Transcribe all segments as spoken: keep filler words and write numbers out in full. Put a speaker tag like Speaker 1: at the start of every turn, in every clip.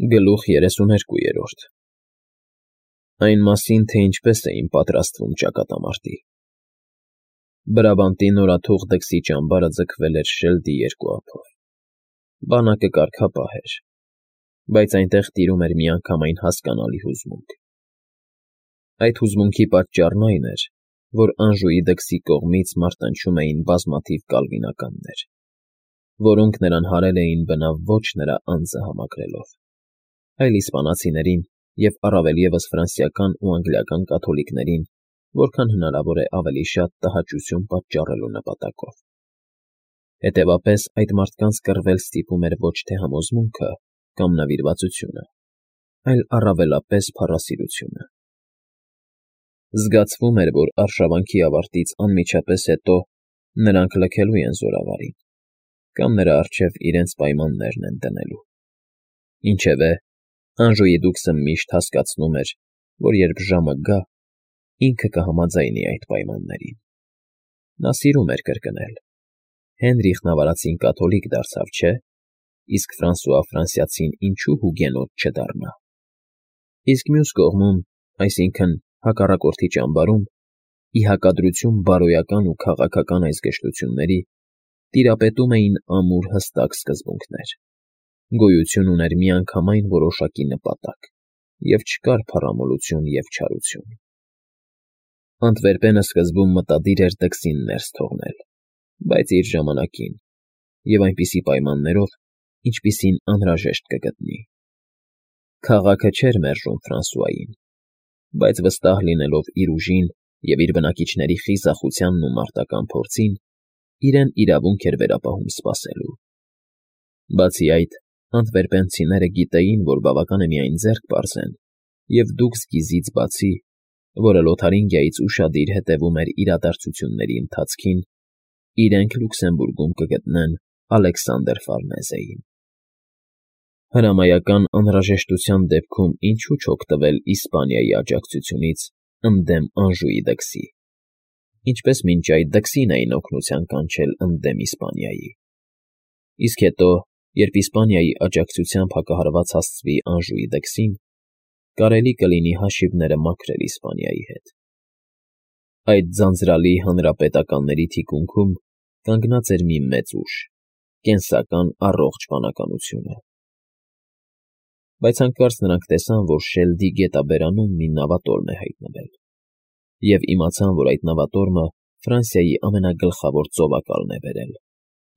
Speaker 1: Գլուխ երեսուներկուերորդ Այն մասին, թե ինչպես էին պատրաստվում ճակատամարտի։ Բրաբանտի նորաթուխ դքսի ճամբարը ձգվել էր շելդի երկու ափով։ Բանակը կարգապահ էր, բայց այնտեղ տիրում էր միանգամայն հասկանալի հուզմունք։ Այդ հուզմունքի պատճառն այն էր, որ Անժուի դքսի կողմից մարտնչում էին բազմաթիվ կալվինականներ, որոնք նրան հարել էին բնավ ոչ նրա անձը համակրելով, այլ իսպանացիներին և առավել ևս ֆրանսիական ու անգլիական կաթոլիկներին, որքան հնարավոր է ավելի շատ տհաճություն պատճառելու նպատակով։ Հետևաբար այդ մարդկանց կռվել ստիպում էր ոչ թե համոզմունքը կամ նվիրվածությունը, այլ առավելապես փառասիրությունը։ Զգացվում էր, որ արշավանքի ավարտից անմիջապես հետո նրանք լքելու են զորավարին կամ նրա առջև իրենց պայմաններն են դնելու։ Ինչևէ, Անժուի դուքսը միշտ հասկացնում էր, որ երբ ժամը գա, ինքը կհամաձայնի այդ պայմաններին։ Նա սիրում էր կրկնել. Հենրիխն ավարածին կաթոլիկ դարձավ, չէ՞, իսկ Ֆրանսուଆ Ֆրանսիացին ինչու հուգենոտ չդառնա։ Իսկ մյուս կողմում, այսինքն՝ հակառակորդի ճամբարում, ի հակադրություն բարոյական ու քաղաքական այս գժտությունների, տիրապետում էին ամուր հստակ սկզբունքներ։ Գոյություն ուներ միանգամայն որոշակի նպատակ, և չկար փառամոլություն և չարություն։ Անտվերպենը սկզբում մտադիր էր դքսին ներս թողնել, բայց իր ժամանակին և այնպիսի պայմաններով, ինչպիսին անհրաժեշտ կգտնի։ Քաղաքը չէր մերժում Ֆրանսուային, բայց վստահ լինելով իր ուժին և իր բնակիչների խիզախությանն ու մարտական փորձին, իրեն իրավունք էր վերապահում սպասելու։ Բացի այդ, անտվերպենցիները գիտեին, որ բավական է միայն ձեռք պարզեն, և դուքս գիզից բացի, որը Լոթարինգիայից ուշադիր հետևում էր իրադարձությունների ընթացքին, իրենք Լյուքսեմբուրգում կգտնեն Ալեքսանդր Ֆարնեզեին։ Հրամայական անհրաժեշտության դեպքում ինչու չօգտվել Իսպանիայի աջակցությունից ընդդեմ Անժուի դքսի, ինչպես մինչ այդ դքսին էին օգնության կանչել ընդդեմ Իսպանիայի։ Իսկ հետո, երբ Իսպանիայի աջակցությամբ հակահարված հասցվի Անժուի դքսին, կարելի կլինի հաշիվները մաքրել Իսպանիայի հետ։ Այդ ձանձրալի հանրապետականների թիկունքում կանգնած էր մի մեծ ուժ՝ կենսական առողջ վանականությունը։ Բայց հանկարծ նրանք տեսան, որ շելդի գետաբերանում մի նավատորմ է հայտնվել, և իմացան, որ այդ նավատորմը Ֆրանսիայի ամենագլխավոր ծովակալն է բերել՝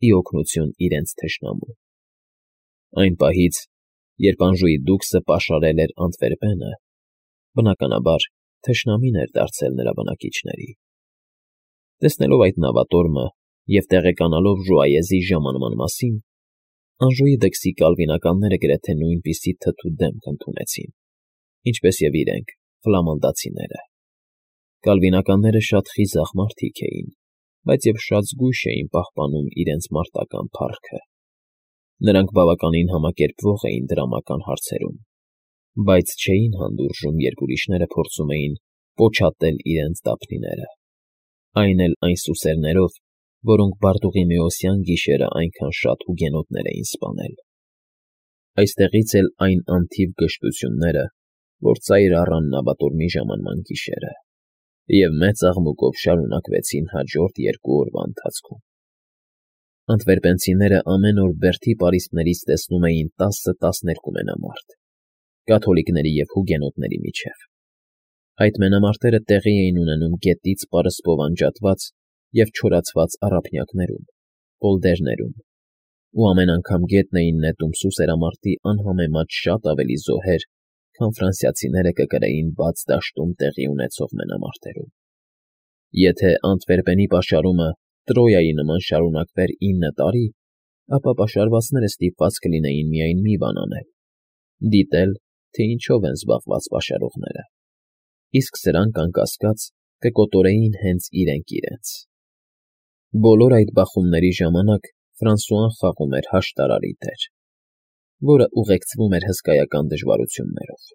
Speaker 1: ի օգնություն իրենց թշնամու։ Այն պահից, երբ Անժուի դուքսը պաշարել էր Անտվերպենը, բնականաբար, թշնամին էր դարձել նրա բնակիչների։ Տեսնելով այդ նավատորմը և տեղեկանալով Ժուայեզի ժամանման մասին, Անժուի դքսի կալվինականները գրեթե նույնպիսի թթու դեմք ընդունեցին, ինչպես և իրենք՝ ֆլամանդացիները։ Կալվինականները շատ խիզախ մարդիկ էին, բայց և շատ զգույշ էին պահպանում իրենց մարտական փառքը։ Նրանք բավականին համակերպվող էին դրամական հարցերում, բայց չէին հանդուրժում, երբ ուրիշները փորձում էին պոչատել իրենց դափնիները, այն էլ այն սուսերներով, որոնք Բարտուղիմեոսյան գիշերը այնքան շատ հուգենոտներ էին սպանել։ Այստեղից էլ այն անթիվ գժտությունները, որ ծայր առան նավատորմի ժամանման գիշերը և մեծ աղմուկով շարունակվեցին հաջորդ երկու օրվա ընթացքում։ Անտվերպենցիները ամեն օր բերդի պարիսպներից տեսնում էին տասը֊տասներկու մենամարտ՝ կաթոլիկների և հուգենոտների միջև։ Այդ մենամարտերը տեղի էին ունենում գետից պարսպով անջատված և չորացված առափնյակներում, պոլդերներում, ու ամեն անգամ գետն էին նետում սուսերամարտի անհամեմատ շատ ավելի զոհեր, քան ֆրանսիացիները կկրեին բաց դաշտում տեղի ունեցող մենամարտերում։ Եթե Անտվերպենի պաշարումը Տրոյայի նման շարունակվեր ինը տարի, ապա պաշարվածները ստիպված կլինեին միայն մի բան անել՝ դիտել, թե ինչով են զբաղված պաշարողները, իսկ սրանք, անկասկած, կկոտորեին հենց իրենք իրենց։ Բոլոր այդ բախումների ժամանակ Ֆրանսուան խաղում էր հաշտարարի դեր, որը ուղեկցվում էր հսկայական դժվարություններով։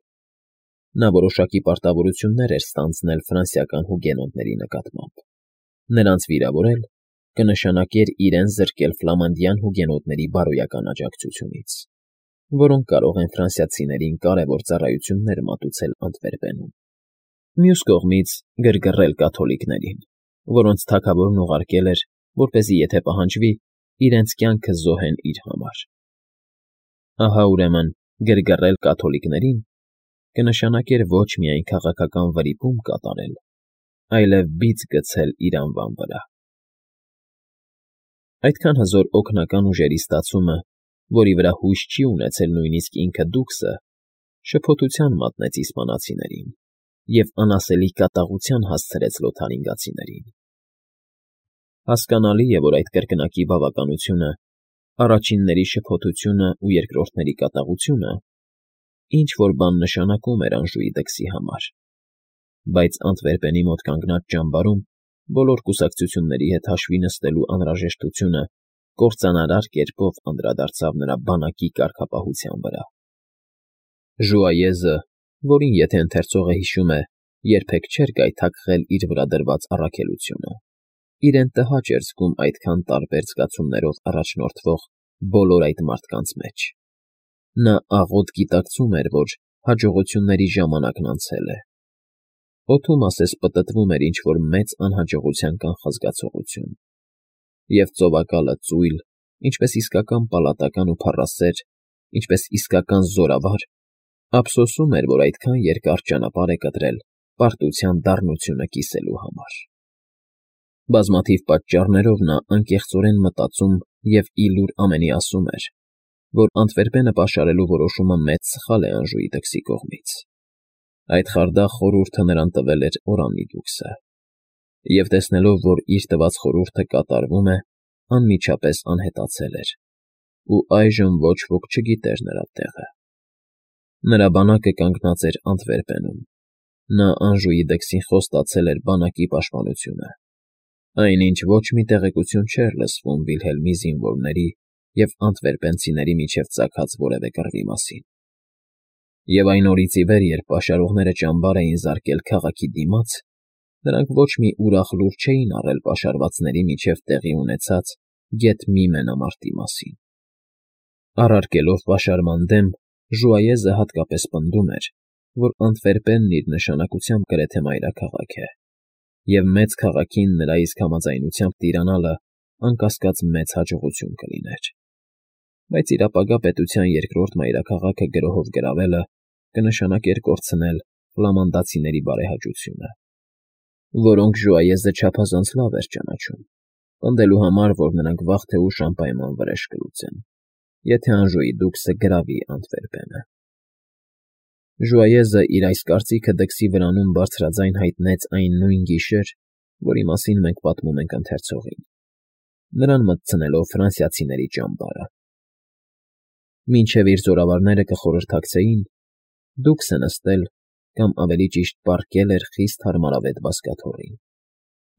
Speaker 1: Նա որոշակի պարտավորություններ էր ստանձնել ֆրանսիական հուգենոտների նկատմամբ։ Նրանց վիրավորել կնշանակեր իրեն զրկել ֆլամանդյան հուգենոտների բարոյական աջակցությունից։ որոնք կարող են ֆրանսիացիներին կարևոր ծառայություններ մատուցել Անտվերպենում։ Մյուս կողմից գրգռել կաթոլիկներին, որոնց թագավորն ուղարկել էր, որպեսզի եթե պահանջվի, իրենց կյանքը զոհեն իր համար։ Ահա ուրեմն գրգռել կաթոլիկներին կնշանակեր ոչ միայն քաղաքական վրիպում կատարել, այլև բիծ գցել իր անվան վրա։ Այդքան հզոր օգնական ուժերի ստացումը, որի վրա հույս չի ունեցել նույնիսկ ինքը Դուքսը, շփոթության մատնեց իսպանացիներին և անասելի կատաղության հասցրեց լոթարինգացիներին։ Հասկանալի է, որ այդ կրկնակի բավականությունը, առաջինների շփոթությունը ու երկրորդների կատաղությունը ինչ֊որ բան նշանակում էր Անժուի դքսի համար, բայց Անտվերպենի մոտ կանգնած ճամբարում բոլոր կուսակցությունների հետ հաշվի նստելու անհրաժեշտությունը կործանարար կերպով անդրադարձավ նրա բանակի կարգապահության վրա։ Ժուայեզը, որին եթե ընթերցողը հիշում է, երբեք չէր գայթակղել իր վրա դրված առաքելությունը, իրեն տհաճ էր զգում այդքան տարբեր զգացումներով առաջնորդվող բոլոր այդ մարդկանց մեջ։ Նա աղոտ գիտակցում էր, որ հաջողությունների ժամանակն անցել է։ Օդում ասես պտտվում էր ինչ֊որ մեծ անհաջողության կանխազգացողություն, և ծովակալը ծույլ, ինչպես իսկական պալատական ու փառասեր, ինչպես իսկական զորավար, ափսոսում էր, որ այդքան երկար ճանապարհ է կտրել պարտության դառնությունը կիսելու համար։ Բազմաթիվ պատճառներով նա անկեղծորեն մտածում և ի լուր ամենի ասում էր, որ Անտվերպենը պաշարելու որոշումը մեծ սխալ է Անժուի դքսի կողմից։ Այդ խարդախ խորհուրդը նրան տվել էր Օրանի դուքսը, և տեսնելով, որ իր տված խորհուրդը կատարվում է, անմիջապես անհետացել էր, ու այժմ ոչ ոք չգիտեր նրա տեղը։ Նրա բանակը կանգնած էր Անտվերպենում, նա Անժուի դքսին խոստացել էր բանակի պաշտպանությունը, այնինչ ոչ մի տեղեկություն չէր լսվում Վիլհելմի զինվորների և անտվերպենցիների միջև ծագած որևէ կռվի մասին։ Եվ այն օրից ի վեր, երբ պաշարողները ճամբար էին զարկել քաղաքի դիմաց, նրանք ոչ մի ուրախ լուր չէին առել պաշարվածների միջև տեղի ունեցած գեթ մի մենամարտի մասին։ Առարկելով պաշարման դեմ, Ժուայեզը հատկապես պնդում էր, որ Անտվերպենն իր նշանակությամբ գրեթե մայրաքաղաք է, և մեծ քաղաքին նրա իսկ համաձայնությամբ տիրանալը անկասկած մեծ հաջողություն կլիներ, բայց իր ապագա պետության երկրորդ մայրաքաղաքը գրոհով գրավելը կնշանակեր կորցնել ֆլամանդացիների բարեհաճությունը, որոնք Ժուայեզը չափազանց լավ էր ճանաչում, պնդելու համար, որ նրանք վաղ թե ուշ անպայման վրեժ կլուծեն, եթե Անժուի դուքսը գրավի Անտվերպենը։ Ժուայեզը իր այս կարծիքը դքսի վրանում բարձրաձայն հայտնեց այն նույն գիշեր, որի մասին մենք պատմում ենք ընթերցողին, նրան մտցնելով ֆրանսիացիների ճամբարը։ Մինչև իր զորավարները կխորհրդակցեին, դուքսը նստել կամ ավելի ճիշտ պառկել էր խիստ հարմարավետ բազկաթոռին,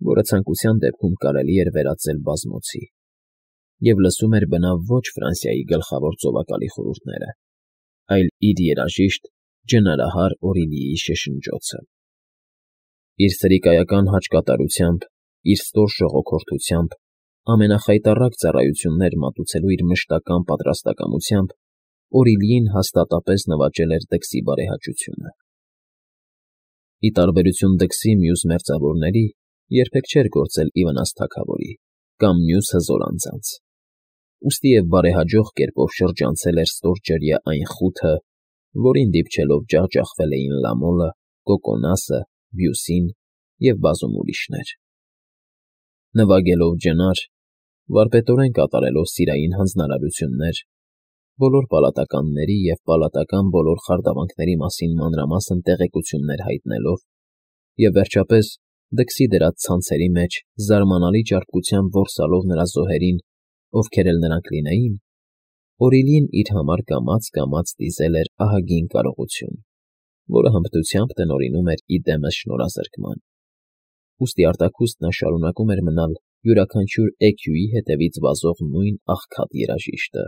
Speaker 1: որը ցանկության դեպքում կարելի էր վերածել բազմոցի, և լսում էր բնավ ոչ Ֆրանսիայի գլխավոր ծովակալի խորհուրդները, այլ իր երաժիշտ ջնարահար Օրիլիի շշնջոցը։ Իր սրիկայական հաճկատարությամբ, իր ստոր ժողոքորթությամբ, ամենախայտառակ ծառայություններ մատուցելու իր մշտական պատրաստակամությամբ Օրիլիին հաստատապես նվաճել էր դքսի բարեհաճությունը։ Ի տարբերություն դքսի մյուս մերձավորների, երբեք չէր գործել ի վնաս թագավորի կամ մյուս հզոր անձանց, ուստի և բարեհաջող կերպով շրջանցել էր ստորջրյա այն խութը, որին դիպչելով ջախջախվել էին Լամոլը, Կոկոնասը, Բյուսին և բազում ուրիշներ։ Նվագելով ջնար, վարպետորեն կատարելով սիրային հանձնարարություններ, բոլոր պալատականների և պալատական բոլոր խարդավանքների մասին մանրամասն տեղեկություններ հայտնելով և, վերջապես, դքսի դրած ցանցերի մեջ զարմանալի ճարպկությամբ որսալով նրա զոհերին, ովքեր էլ նրանք լինեին, Օրիլին իր համար կամաց֊կամաց դիզել էր ահագին կարողություն, որը հմտությամբ տնօրինում էր ի դեմս շնորհազրկման, ուստի արտաքուստ նա շարունակում էր մնալ յուրաքանչյուր էքյուի հետևից վազող նույն աղքատ երաժիշտը,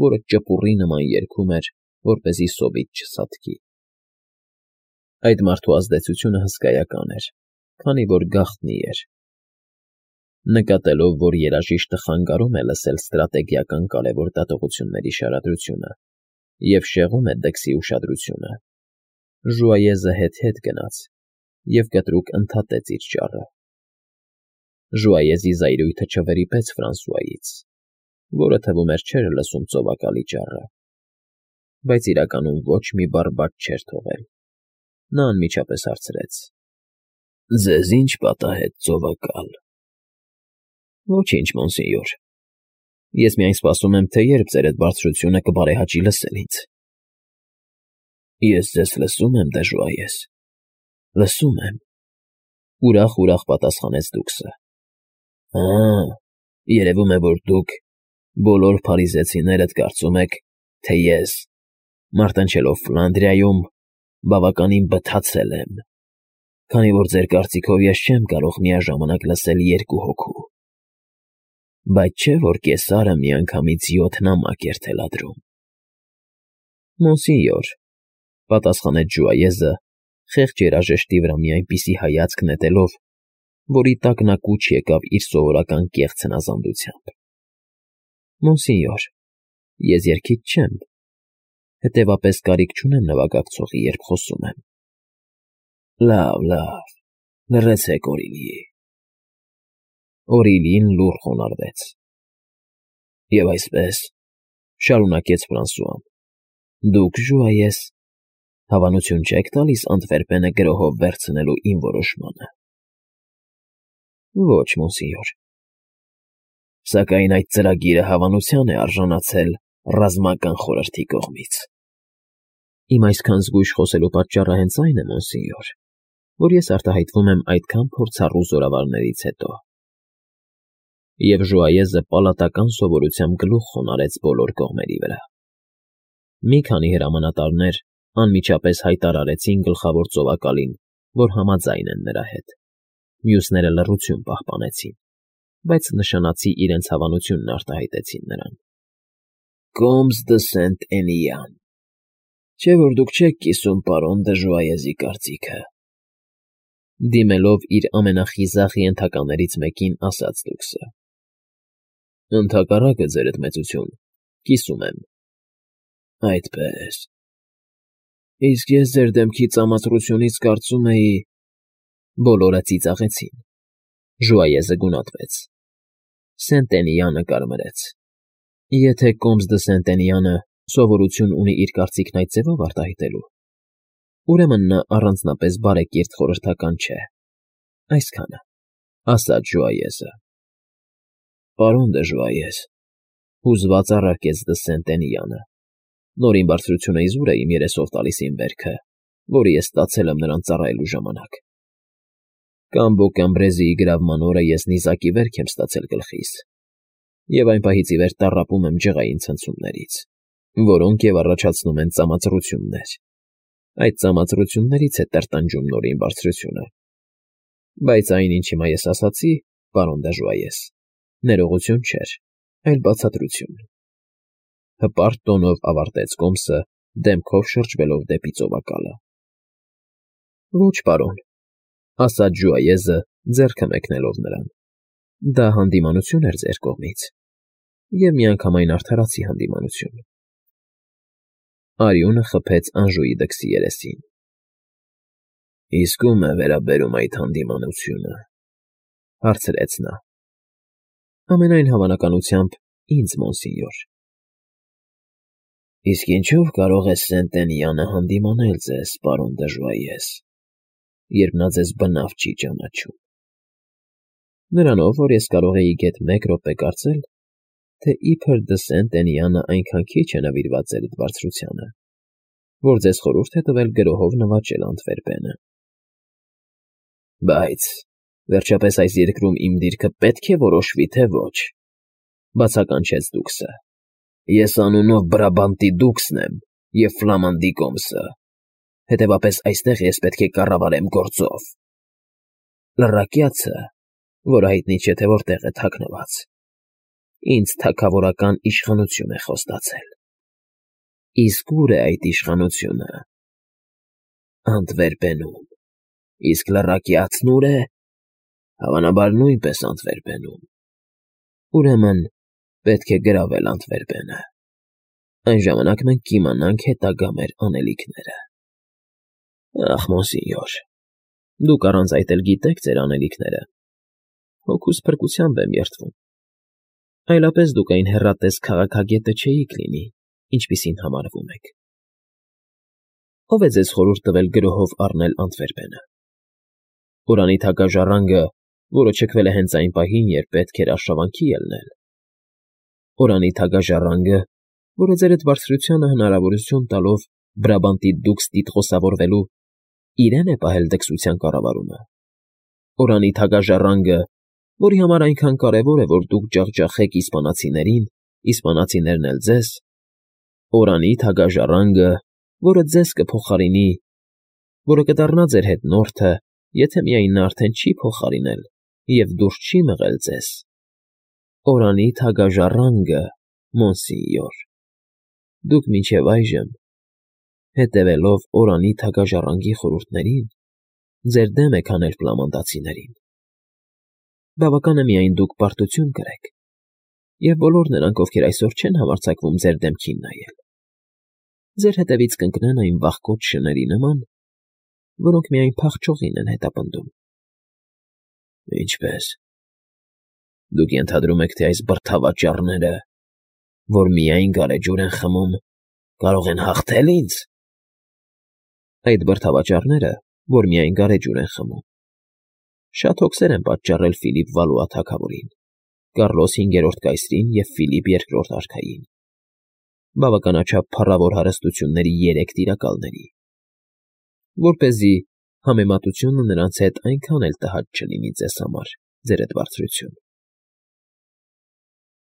Speaker 1: որը ճպուռի նման երգում էր, որպեսզի սովից չսատկի։ Այդ մարդու ազդեցությունը հսկայական էր, քանի որ գաղտնի էր։ Նկատելով, որ երաժիշտը խանգարում է լսել ստրատեգիական կարևոր դատողությունների շարադրությունը, և շեղում է դքսի ուշադրությունը։ Ժուայեզը հետ֊հետ գնաց և կտրուկ ընդհատեց իր ճառը։ Ժուայեզի զայրույթը չվրիպեց Ֆրանսուայից, որը թվում էր չէր լսում ծովակալի ճառը, բայց իրականում ոչ մի բառ բաց չէր թողել։ Նա անմիջապես հարցրեց. «Ձեզ ի՞նչ պատահեց, ծովակալ»։ «Ոչինչ, մոնսենյոր, ես միայն սպասում եմ, թե երբ ձերդ բարձրությունը կբարեհաճի լսել ինձ»։ «Ես ձեզ լսում եմ, դե Ժուայես, լսում եմ,֊ ուրախ֊ուրախ պատասխանեց դուքսը։ Ահա, երևում է, որ դուք, բոլոր փարիզեցիներդ կարծում եք, թե ես, մարտնչելով Ֆլանդրիայում, բավականին բթացել եմ, քանի որ ձեր կարծիքով ես չեմ կարող միաժամանակ լսել երկու հոգու։ Բայց չէ՞ որ կեսարը միանգամից յոթ նամակ էր թելադրում»։ «Մոնսենյոր,֊ պատասխանեց Ժուայեզը, խեղճ երաժշտի վրա մի այնպիսի հայացք նետելով, որի տակ նա կուչ եկավ իր սովորական կեղծ հնազանդությամբ,֊ Մոնսենյոր, ես երգիչ չեմ, հետևաբար կարիք չունեմ նվագակցողի, երբ խոսում եմ»։ «Լավ, լավ, լռեցեք, Օրիլի»։ Օրիլին լուռ խոնարհվեց։ «Եվ այսպես,֊ շարունակեց Ֆրանսուան,֊ դուք, Ժուայես, հավանություն չեք տալիս Անտվերպենը գրոհով վերցնելու իմ որոշմանը»։ «Ոչ, մոնսենյոր»։ «Սակայն այդ ծրագիրը հավանության է արժանացել ռազմական խորհրդի կողմից»։ «Իմ այսքան զգույշ խոսելու պատճառը հենց այն է, մոնսենյոր, որ ես արտահայտվում եմ այդքան փորձառու զորավարներից հետո»։ Եվ Ժուայեզը պալատական սովորությամբ գլուխ խոնարհեց բոլոր կողմերի վրա։ Մի քանի հրամանատարներ անմիջապես հայտարարեցին գլխավոր ծովակալին, որ համաձայն են նրա հետ։ Մյուսները լռություն պահպանեցին, բայց նշանացի իրենց հավանությունն արտահայտեցին նրան։ «Կոմս դը Սենտ֊Էնիան, չէ՞ որ դուք չեք կիսում պարոն դը Ժուայեզի կարծիքը,֊ դիմելով իր ամենախիզախ ենթականերից մեկին, ասաց դուքսը։ «Ընդհակառակը, ձերդ մեծություն, կիսում եմ»։ «Այդպե՜ս… Իսկ ես ձեր դեմքի ծամացրությունից կարծում էի…» Բոլորը ծիծաղեցին։ Ժուայեզը գունատվեց։ Սենտենիանը կարմրեց։ Եթե Կոմս դը Սենտենյանը սովորություն ունի իր կարծիքն այդ ձևով արտահայտելու, ուրեմն նա առանձնապես բարեկիրթ խորհրդական չէ։ Այսքանը, ասաց Ժուայեզը։ «Պարոն դը Ժուայես,֊ հուզված առարկեց դը Սենտենյանը,֊ նորին բարձրությունը իզուր է իմ երեսով տալիս իմ վերքը, որը ես ստացել եմ նրան ծառայելու ժամանակ։ Կամբո Կամբրեզիի գրավման օրը ես նիզակի վերք եմ ստացել գլխիս, և այն պահից ի վեր տառապում եմ ջղային ցնցումներից, որոնք և առաջացնում են ծամացրություններ։ Այդ ծամացրություններից է տրտնջում նորին բարձրությունը։ Բայց այն, ինչ հիմա ես ասացի, պարոն դը Ժուայես, ներողություն չէր, այլ բացատրություն»։ Հպարտ տոնով ավարտեց Կոմսը, դեմքով շրջվելով դեպի ծովակալը։ «Ոչ, պարոն,֊ ասաց Ժուայեզը, ձեռքը մեկնելով նրան,֊ դա հանդիմանություն էր ձեր կողմից, և միանգամայն արդարացի հանդիմանություն»։ Արյունը խփեց Անժուի դքսի երեսին։ «Իսկ ո՞ւմ է վերաբերում այդ հանդիմանությունը,֊ հարցրեց նա։ «Ամենայն հավանականությամբ, ինձ, մոնսենյոր»։ «Իսկ ինչո՞վ կարող է Սենտենյանը հանդիմանել ձեզ, պարոն դը Ժուայես, երբ նա ձեզ բնավ չի ճանաչում»։ «Նրանով, որ ես կարող էի գեթ մեկ րոպե կարծել, թե իբր դը Սենտենյանը այնքան քիչ է նվիրված ձերդ բարձրությանը, որ ձեզ խորհուրդ է տվել գրոհով նվաճել Անտվերպենը»։ «Բայց, վերջապես, այս երկրում իմ դիրքը պետք է որոշվի, թե ոչ,֊ բացականչեց դուքսը։ «Ես անունով Բրաբանտի դուքսն եմ և Ֆլամանդի Կոմսը, հետևաբար այստեղ ես պետք է կառավարեմ գործով։ Լռակյացը, որը հայտնի չէ, թե որտեղ է թաքնված, ինձ թագավորական իշխանություն է խոստացել։ Իսկ ո՞ւր է այդ իշխանությունը։ Անտվերպենում։ Իսկ լռակյացն ո՞ւր է։ Հավանաբար նույնպես Անտվերպենում։ Ուրեմն պետք է գրավել Անտվերպենը։ Այն ժամանակ մենք կիմանանք հետագա մեր անելիքները։ Ախ, մոնսինյոր, դուք առանց այդ էլ գիտեք ձեր անելիքները։ Հոգուս փրկությամբ եմ երդվում։ Այլապես դուք այն հեռատես քաղաքագետը չէիք լինի, ինչպիսին համարվում եք։ Ո՞վ է ձեզ խորհուրդ տվել գրոհով առնել Անտվերպենը։ Օրանի թագաժառանգը, որը չքվել է հենց այն պահին, երբ պետք էր արշավանքի ելնել։ Օրանի թագաժառանգը, որը ձեր այդ բարձրությանը հնարավորություն տալով Բրաբանտի դուքս տիտղոսավորվելու, իրեն է պահել դքսության կառավարումը։ Օրանի թագաժառանգը, որի համար այնքան կարևոր է, որ դուք ջախջախեք իսպանացիներին, իսպանացիներն էլ ձեզ։ Օրանի թագաժառանգը, որը ձեզ կփոխարինի, որը կդառնա ձեր հետնորդը, եթե միայն նա արդեն չի փոխարինել և դուրս չի մղել ձեզ։ Օրանի թագաժառանգը, մոնսինյոր, դուք մինչև այժմ, հետևելով օրանի թագաժառանգի խորհուրդներին, ձեր դեմ եք հանել ֆլամանդացիներին։ Բավական է միայն դուք պարտություն կրեք, և բոլոր նրանք, ովքեր այսօր չեն համարձակվում ձեր դեմքին նայել, ձեր հետևից կընկնեն այն վախկոտ շների նման, որոնք միայն փախչողին են հետապնդում։ Ինչպե՞ս։ Դուք ենթադրում եք, թե այս բրդավաճառները, որ միայն գարեջուր են խմում, կարող են հաղթել ինձ։ Այդ բրդավաճառները, որ միայն գարեջուր են խմում, շատ հոգսեր են պատճառել Ֆիլիպ Վալուա թագավորին, Կառլոս հինգերորդ կայսրին և Ֆիլիպ երկրորդ արքային, բավականաչափ փառավոր հարստությունների երեք տիրակալների, որպեսզի համեմատությունը նրանց հետ այնքան էլ տհաճ չլինի ձեզ համար, ձեր այդ բարձրություն։